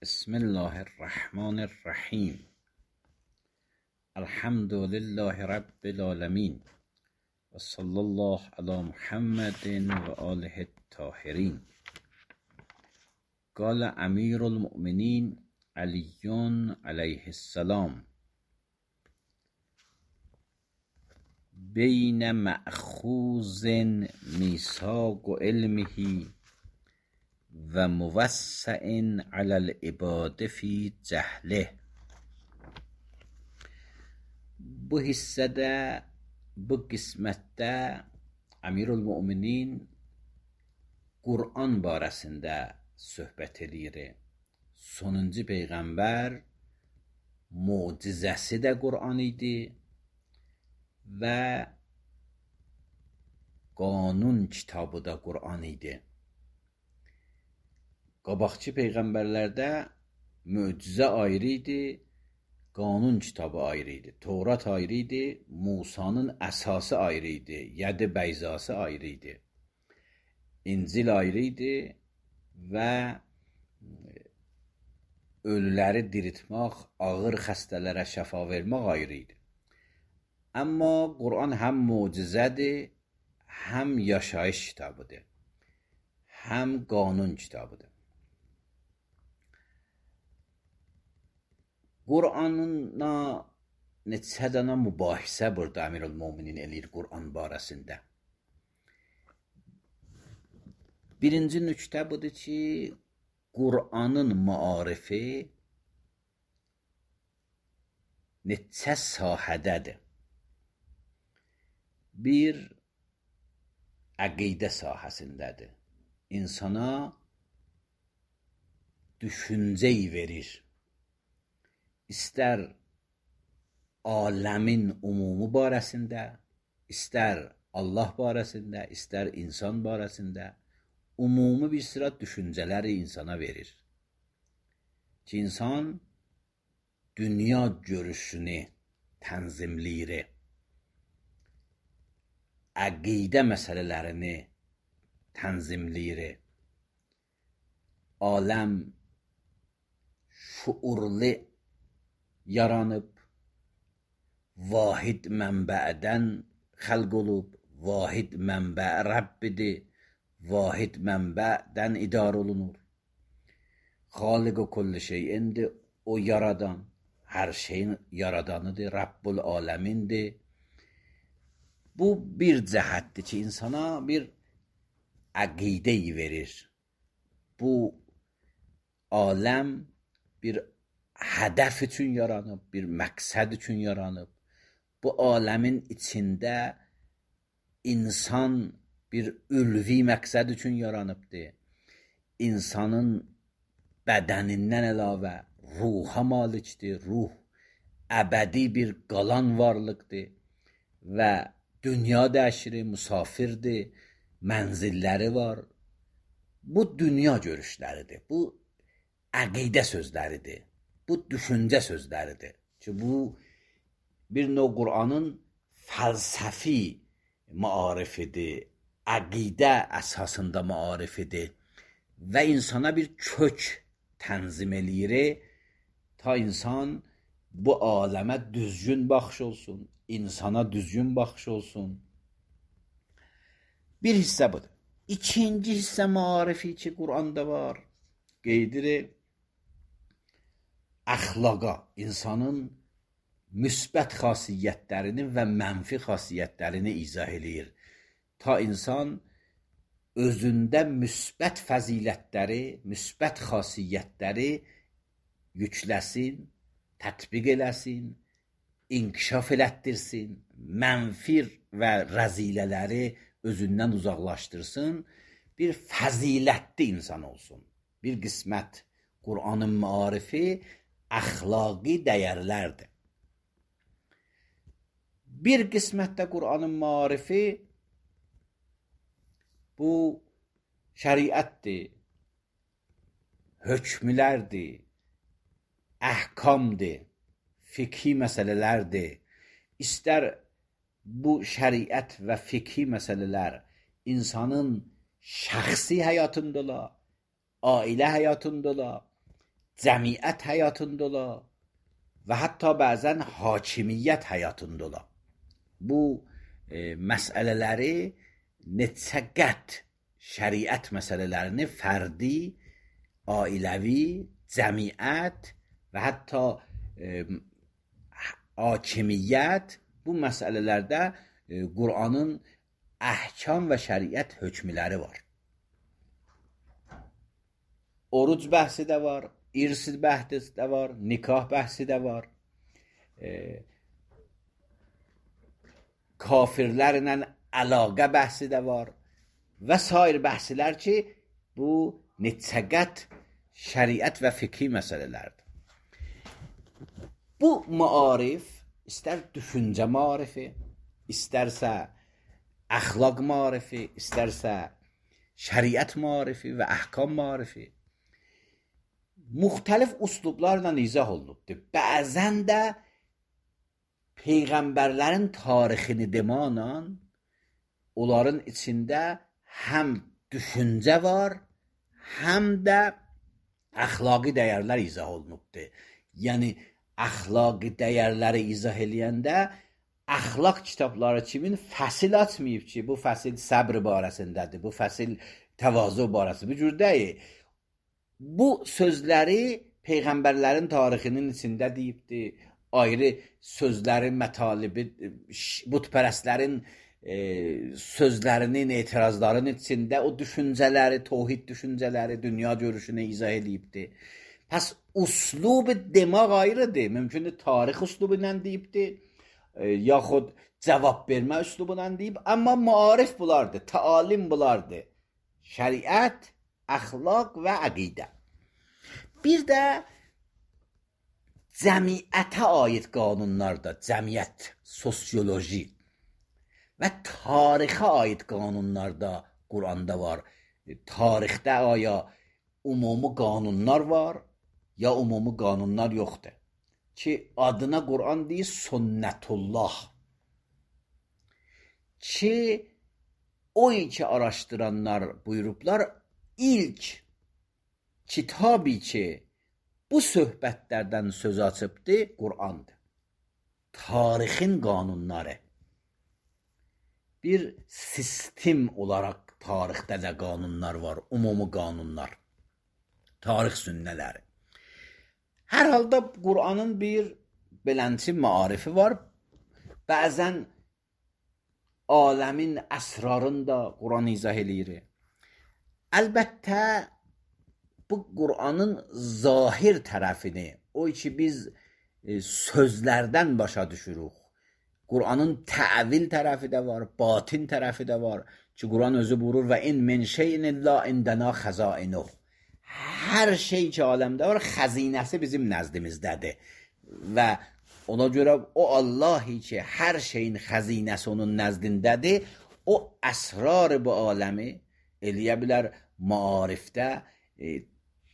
بسم الله الرحمن الرحیم. الحمد لله رب العالمین و صلی الله علی محمد و آله الطاهرین. قال امیر المؤمنین علی علیه السلام: بین مأخوذ میثاق علمه و موسع علی العباد فی جهله. Bu hissədə, bu qismətdə Əmirülmüminin Qur'an barəsində söhbət edir. Sonuncu Peyğəmbər mucizəsi də Qur'an idi və qanun kitabı da Qur'an idi. Qabaqçı Peyğəmbərlərdə möcüzə ayrı idi, qanun kitabı ayrı idi. Tövrat ayrı idi, Musanın əsası ayrı idi, Yəd-i Bəyzası ayrı idi. İncil ayrı idi və ölüləri diriltmək, ağır xəstələrə şəfa vermək ayrı idi. Amma Qur'an həm möcüzədir, həm yaşayış kitabıdır, həm qanun kitabıdır. Qur'anla neçə dənə mübahisə burada Əmirülmüminin eləyir Qur'an barəsində. Birinci nöqtə budur ki, Qur'anın maarifi neçə sahədədir. Bir, əqidə sahəsindədir. İnsana düşüncəyi verir. İstər aləmin umumu barəsində, istər Allah barəsində, istər insan barəsində umumi bir sıra düşüncələri insana verir. Ki, insan dünya görüşünü tənzimləyir, əqidə məsələlərini tənzimləyir. Aləm şuurlu yaranıb, vahid mənbədən xəlq olub, vahid mənbə Rəbbidir, vahid mənbədən idarə olunur. Xaliq-i kulli şeyindir, o yaradan, hər şeyin yaradanıdır, Rəbbül aləmindir. Bu bir cəhətdir ki, insana bir əqidə verir. Bu aləm bir hədəf üçün yaranıb, bir məqsəd üçün yaranıb. Bu aləmin içində insan bir ülvi məqsəd üçün yaranıbdır. İnsanın bədənindən əlavə ruha malikdir. Ruh əbədi bir qalan varlıqdır və dünya dəşiri, müsafirdir, mənzilləri var. Bu dünya görüşləridir, bu əqidə sözləridir. Bu düşüncə sözləridir ki, bu bir növ Qur'anın fəlsəfi maarifidir, əqidə əsasında maarifidir və insana bir kök tənzim eləyir ta insan bu aləmə düzgün baxış olsun, insana düzgün baxış olsun. Bir hissə budur. İkinci hissə maarifi ki, Qur'anda var, qeydirir əxlaqa, insanın müsbət xasiyyətlərini və mənfi xasiyyətlərini izah eləyir. Ta insan özündə müsbət fəzilətləri, müsbət xasiyyətləri yükləsin, tətbiq eləsin, inkişaf elətdirsin, mənfi və rəzilələri özündən uzaqlaşdırsın, bir fəzilətli insan olsun. Bir qismət Qur'anın maarifi əxlaqi dəyərlərdir. Bir qismətdə Qur'anın maarifi bu şəriətdir, hökmlərdir, əhkamdır, fikhi məsələlərdir. İstər bu şəriət və fikhi məsələlər insanın şəxsi həyatında ola, ailə həyatında ola, cəmiyyət həyatında ola və hətta bəzən hakimiyyət həyatında ola. Bu məsələləri neçə qət şəriət məsələlərini fərdi, ailəvi, cəmiyyət və hətta hakimiyyət bu məsələlərdə Qur'anın əhkam və şəriət hökmləri var. Oruc bəhsi də var, irs bəhsi də var, nikah bəhsi də var. Kafirlərlə əlaqə bəhsi də var və sair bəhslər ki, bu neçəqət şəriət və fiqhi məsələlərdir. Bu maarif, istər düşüncə maarifi, istərsə əxlaq maarifi, istərsə şəriət maarifi və əhkam maarifi, müxtəlif üslublarla izah olunubdur. Bəzən də Peyğəmbərlərin tarixini demanla onların içində həm düşüncə var, həm də əxlaqi dəyərlər izah olunubdur. Yəni, əxlaqi dəyərləri izah eləyəndə əxlaq kitabları kimin fəsil açmayıb ki, bu fəsil səbr barəsindədir, bu fəsil təvazu barəsindədir. Bu cür deyil. Bu sözləri Peyğəmbərlərin tarixinin içində deyibdir. Ayrı sözlərin mətalibi, bütpərəstlərin sözlərinin, etirazların içində o düşüncələri, tohid düşüncələri, dünya görüşünü izah edibdir. Pəs uslub demək ayrıdır. Mümkündür tarix uslubu ilə deyibdir, yaxud cavab vermə uslubu ilə deyib. Amma maarif bulardır, təalim bulardır. Şəriət, əxlaq və əqidə. Bir də cəmiyyətə aid qanunlarda, cəmiyyət, sosioloji və tarixə aid qanunlarda Quranda var. Tarixdə aya ümumi qanunlar var, ya ümumi qanunlar yoxdur. Ki, adına Quran deyir sünnətullah. Ki, o iki araştıranlar buyurublar, ilk kitabı ki, bu söhbətlərdən söz açıbdır, Qur'andır. Tarixin qanunları. Bir sistem olaraq tarixdə də qanunlar var, ümumi qanunlar. Tarix sünnələri. Hər halda Qur'anın bir belənçi maarifi var. Bəzən aləmin əsrarını da Qur'an izah eləyir. Əlbəttə, bu Qur'anın zahir tərəfini, o ki biz sözlərdən başa düşürük. Qur'anın təvil tərəfi də var, batin tərəfi də var. Ki Qur'an özü buyurur və in min şeyin illa indəna xəzainuh. Hər şey ki aləmdə var, xəzinəsi bizim nəzdimizdədir. Və ona görə o Allahi ki hər şeyin xəzinəsi onun nəzdindədir, o əsrar bu aləmi eləyə bilər maarifdə,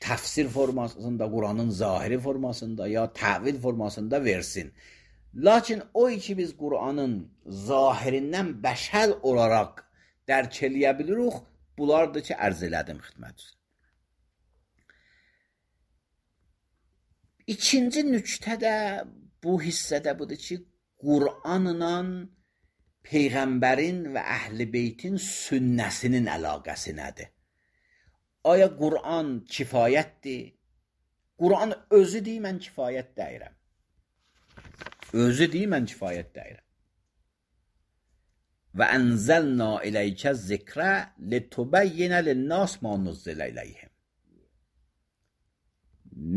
təfsir formasında, Qur'anın zahiri formasında ya təvil formasında versin. Lakin o ki biz Qur'anın zahirindən bəşər olaraq dərk eləyə bilirik, bunlardır ki, ərz elədim xidmət üzrə. İkinci nüktə də bu hissədə budur ki, Qur'anla Peyğəmbərin və Əhl-i Beytin sünnəsinin əlaqəsi nədir? Aya Qur'an kifayətdir? Qur'an özü deyir, mən kifayət deyirəm. Özü deyir, mən kifayət deyirəm. Və ənzəlna iləykə zikrə litubəyyinə linnās ma nuzzilə iləyhim.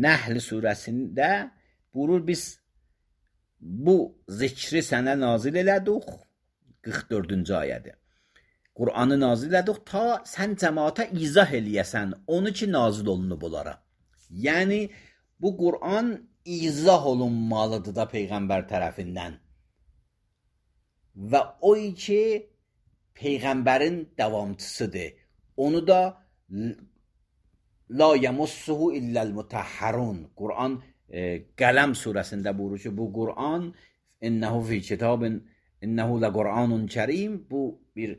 Nəhl surəsində buyurur, biz bu zikri sənə nazil elədik, 44-cü ayədir. Qur'anı nazil elədik ta sən cəmaata izah eləyəsən, onu ki nazil olunub onlara. Yəni, bu Qur'an izah olunmalıdır da Peyğəmbər tərəfindən. Və o ki Peyğəmbərin davamçısıdır. Onu da la yemussuhu illəl mutahharun. Qur'an Qələm surəsində buyurur ki, bu Qur'an innəhu fi kitabin innəhu la Qur'anun kərim. Bu bir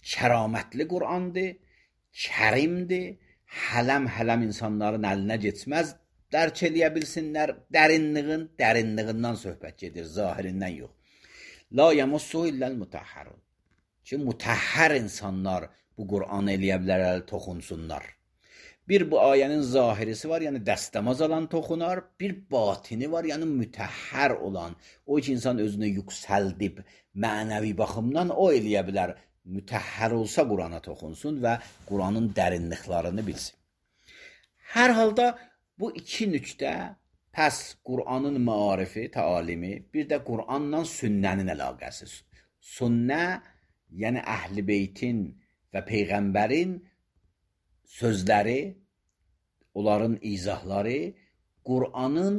kəramətli Qur'andır, kərimdir, hələm insanların əlinə geçməz, dərk eləyə bilsinlər. Dərinliğindən söhbət gedir, zahirindən yox. La yamassuhu illal mutahharun. Ki mutahhar insanlar bu Qur'anı eləyə bilərlər, toxunsunlar. Bir bu ayənin zahirisi var, yəni dəstəmaz alan toxunar. Bir batini var, yəni mütəhhər olan. O ki insan özünü yüksəldib mənəvi baxımdan o eləyə bilər. Mütəhhər olsa Qur'ana toxunsun və Qur'anın dərinliklərini bilsin. Hər halda bu iki nüqtə, pəs Qur'anın maarifi, təalimi, bir də Qur'anla sünnənin əlaqəsi. Sünnə, yəni Əhl-i Beytin və Peyğəmbərin sözləri, onların izahları Qur'anın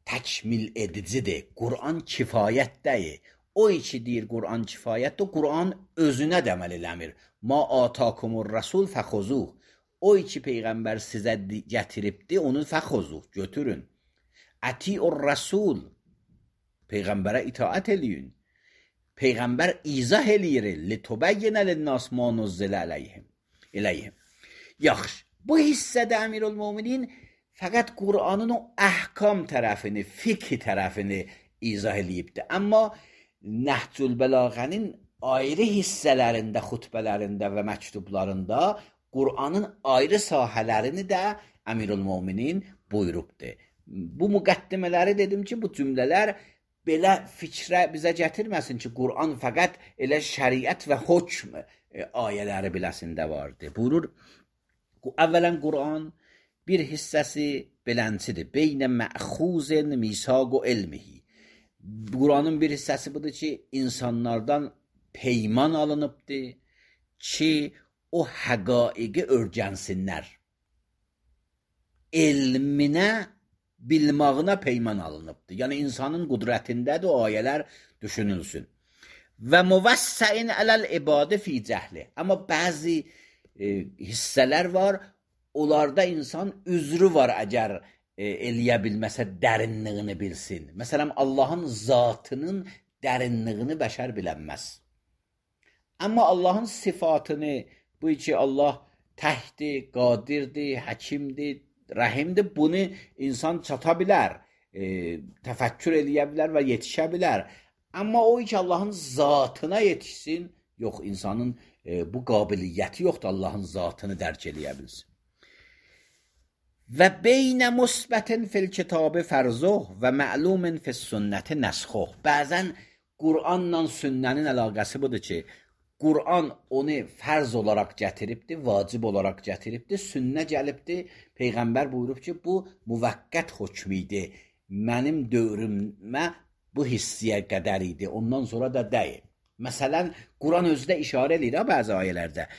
təkmil edicidir. Qur'an kifayətdəyir. O iki deyir Qur'an kifayətdir, Qur'an özünə də əməl eləmir. Ma atakumur rasul fəxuzuh. O iki Peyğəmbər sizə gətiribdi, onu fəxuzuh, götürün. Ətiur rasul. Peyğəmbərə itaət eləyin. Peyğəmbər izah eləyir. Litubəyyinə linnas ma nuzzilə eləyhim. Yaxşı, bu hissədə Əmirülmöminin fəqət Qur'anın o əhkam tərəfini, fiqh tərəfini izah eləyibdir. Amma Nəhcül Bəlağənin ayrı hissələrində, xutbələrində və məktublarında Qur'anın ayrı sahələrini də Əmirülmöminin buyurubdur. Bu müqəddimələri dedim ki, bu cümlələr belə fikrə bizə gətirməsin ki, Qur'an fəqət elə şəriət və hökm ayələri biləsində vardır. Buyurur, əvvələn Qur'an bir hissəsi beləncidir. Beynə məxuzin misaq o elmihi. Qur'anın bir hissəsi budur ki, insanlardan peyman alınıbdır ki, o həqaiqi öyrənsinlər. Elminə, bilmağına peyman alınıbdır. Yəni, insanın qudrətindədir o ayələr düşünülsün. Və müvəssəin ələl ibadə fi cəhli. Amma bəzi hissələr var, onlarda insan üzrü var əgər eləyə bilməsə dərinliyini bilsin. Məsələn, Allahın zatının dərinliyini bəşər bilənməz. Amma Allahın sifatını, bu ki Allah təhdir, qadirdir, həkimdir, rəhimdir, bunu insan çata bilər, təfəkkür eləyə bilər və yetişə bilər. Amma o ki Allahın zatına yetişsin, yox, insanın bu qabiliyyəti yoxdur, Allahın zatını dərk eləyə bilsin. Və beynə musbətin fil kitabı fərzuh və məlumin fil sünnəti nəsxuh. Bəzən Qur'anla sünnənin əlaqəsi budur ki, Qur'an onu fərz olaraq gətiribdir, vacib olaraq gətiribdir, sünnə gəlibdir. Peyğəmbər buyurub ki, bu müvəqqət hökmüdür. Mənim dövrümə bu hissiyə qədər idi, ondan sonra da deyil. Məsələn, Qur'an özdə işarə edir bəzi ayələrdə.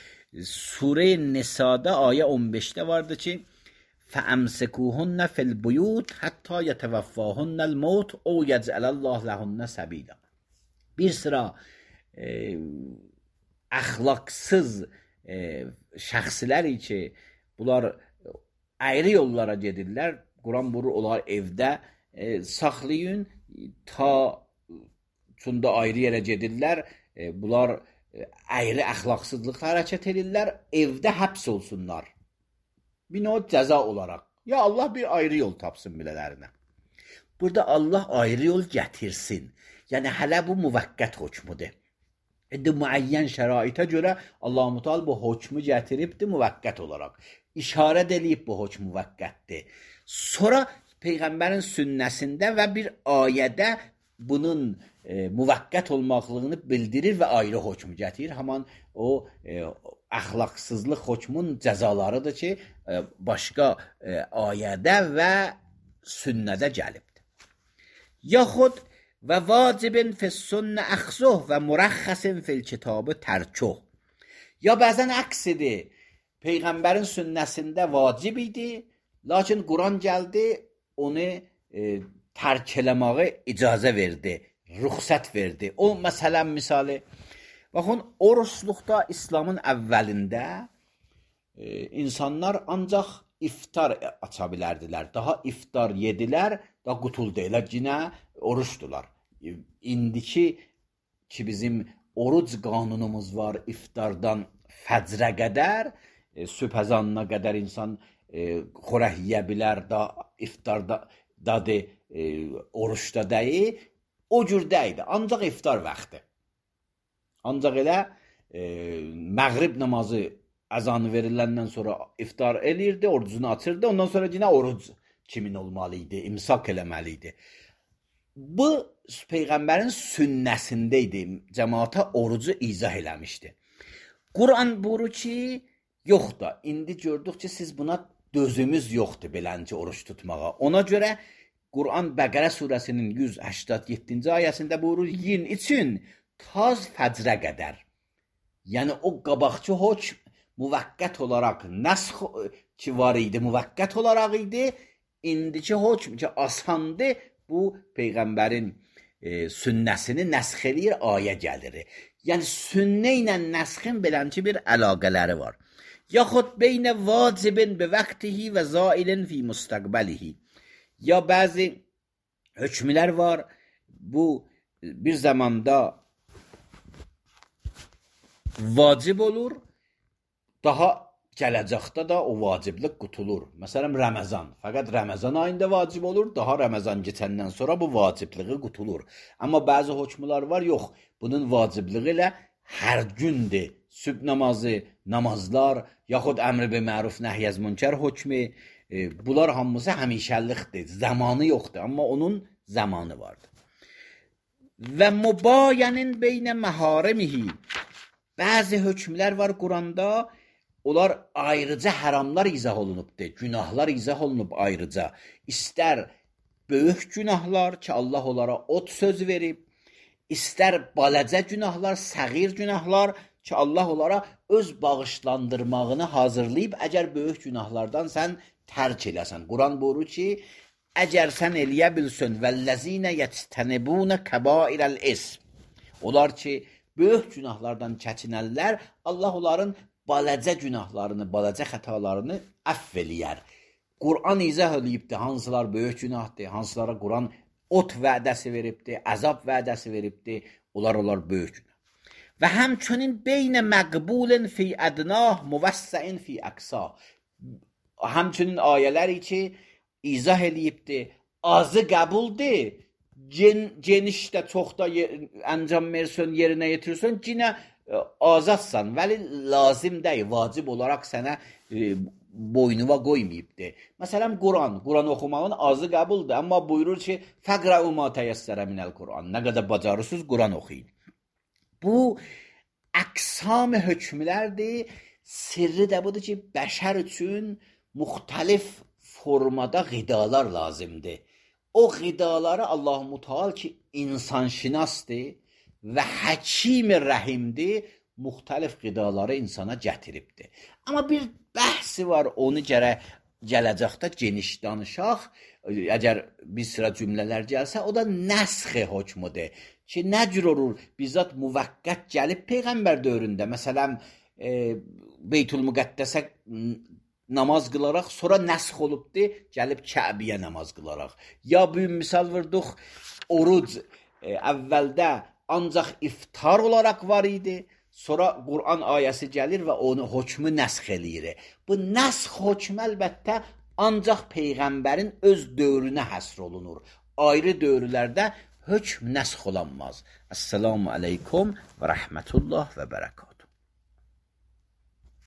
Surə Nisa'da ayə 15-də vardı ki, فَأَمْسِكُوهُنَّ فِي الْبُيُوتِ حَتَّى يَتَوَفَّاهُنَّ الْمَوْتُ اَوْ يَجْعَلَ اللّٰهُ لَهُنَّ سَبِيلًا. Bir sıra əxlaqsız şəxslər ki, bunlar ayrı yollara gedirlər. Quran buyurur, onlar evdə saxlayın, ta çunda ayrı yerə gedirlər. Bunlar ayrı əxlaqsızlıqla hərəkət edirlər, evdə həbs olsunlar. Bir növ cəza olaraq. Ya Allah bir ayrı yol tapsın bilələrinə. Burada Allah ayrı yol gətirsin. Yəni hələ bu müvəqqət hökmüdür. İndi müəyyən şəraitə görə Allah-u Teala bu hökmü gətiribdir müvəqqət olaraq. İşarə edilib bu hökm müvəqqətdir. Sonra Peyğəmbərin sünnəsində və bir ayədə bunun müvəqqət olmaqlığını bildirir və ayrı hökm gətirir. Haman o əxlaqsızlıq hökmün cəzalarıdır ki, başqa ayədə və sünnədə gəlibdir. Yaxud və vacibin fis-sünnə əxzuh və murəxxəsin fil-kitabı tərkuh. Ya bəzən əksidir. Peyğəmbərin sünnəsində vacib idi, lakin Quran gəldi, onu tərk eləməyə icazə verdi, rüxsət verdi. O məsələn misali, baxın, oruçluqda İslamın əvvəlində insanlar ancaq iftar aça bilərdilər. Daha iftar yedilər, daha qutul deyilər, yine oruçdular. İndiki ki bizim oruc qanunumuz var, iftardan fəcrə qədər, sübh əzanına qədər insan xörək yeyə bilər, da iftarda dadı, oruçda deyil, o cür deyildi. Ancaq iftar vaxtı. Ancaq elə məğrib namazı əzanı veriləndən sonra iftar eləyirdi, orucunu açırdı. Ondan sonra yine oruc kimin olmalıydı, imsak eləməliydi. Bu Peyğəmbərin sünnəsindəydi. Cəmaata orucu izah eləmişdi. Quran buyurur ki, yox da, indi gördük ki, siz buna dözümüz yoxdur belənci oruç tutmağa. Ona görə Quran Bəqərə surəsinin 187-ci ayəsində buyurur, yiyin için taz fəcrə qədər. Yəni o qabaqçı hökm müvəqqət olaraq nəsx ki var idi, müvəqqət olaraq idi. İndiki hökm ki asandır, bu Peyğəmbərin sünnəsini nəsx eləyir, ayə gəlir. Yəni sünnə ilə nəsxin belənci bir əlaqələri var. Yaxud beynə vacibin bi vaxtihi və zailin fi müstəqbəlihi. Ya bəzi hökmlər var, bu bir zamanda vacib olur, daha gələcəkdə də o vaciblik qutulur. Məsələn, Ramazan. Fəqət Ramazan ayında vacib olur, daha Ramazan keçəndən sonra bu vacibliği qutulur. Amma bəzi hökmlər var, yox, bunun vacibliği ilə hər gündür. Sübh namazı, namazlar, yaxud əmr bi məruf nəhy münkər hökmü, bunlar hamısı həmişəlikdir, zamanı yoxdur, amma onun zamanı vardır. Və mübayənin beynə məharimihi. Bəzi hökmlər var Quranda, onlar ayrıca haramlar izah olunubdur, günahlar izah olunub ayrıca. İstər böyük günahlar ki, Allah onlara od söz verib, istər balacə günahlar, səğir günahlar ki, Allah onlara öz bağışlandırmağını hazırlayıb, əgər böyük günahlardan sən tərk eləsən. Quran buyurur ki, əgər sən eləyə bilsən vəllezine yectenibune kebairel ism. Onlar ki, böyük günahlardan çəkinərlər, Allah onların balacə günahlarını, balacə xətalarını əff eləyər. Quran izah eləyibdir, hansılar böyük günahdır, hansılara Quran ot vədəsi veribdir, əzab vədəsi veribdir, onlar böyük günah. Və həmçinin beynə məqbulin fi ədnah, müvəssəin fi əqsa. Həmçinin ayələri ki, izah eləyibdir, azı qəbuldur, genişdə, çoxda əncam versən, yerinə yetirsən, yenə azadsan, vəli lazım deyil, vacib olaraq sənə boynuva qoymayıbdır. Məsələn, Quran oxumağın azı qəbuldur, amma buyurur ki, fəqrəu ma təyəssərə minəl Quran. Nə qədər bacarırsınız, Quran oxuyun. Bu əqsam hökmlərdir. Sirri də budur ki, bəşər üçün müxtəlif formada qidalar lazımdır. O qidaları Allah-u Müteal ki, insanşinasdır və həkim-i rəhimdir, müxtəlif qidaları insana gətiribdir. Amma bir bəhsi var, onu gərək gələcəkdə geniş danışaq. Əgər bir sıra cümlələr gəlsə, o da nəsx hökmüdür. Ki, nə cür olur? Bizzat müvəqqət gəlib Peyğəmbər dövründə. Məsələn, Beytül Müqəddəsə namaz qılaraq, sonra nəsx olubdur, gəlib Kəbiyə namaz qılaraq. Ya bu misal vurduq, oruc əvvəldə ancaq iftar olaraq var idi, sonra Quran ayəsi gəlir və onu hökmü nəsx eləyir. Bu nəsx hökmü əlbəttə ancaq Peyğəmbərin öz dövrünə həsr olunur. Ayrı dövrlərdə hökm nəsx olanmaz. Əssalamu aleykum və rəhmətullah və bərəkət.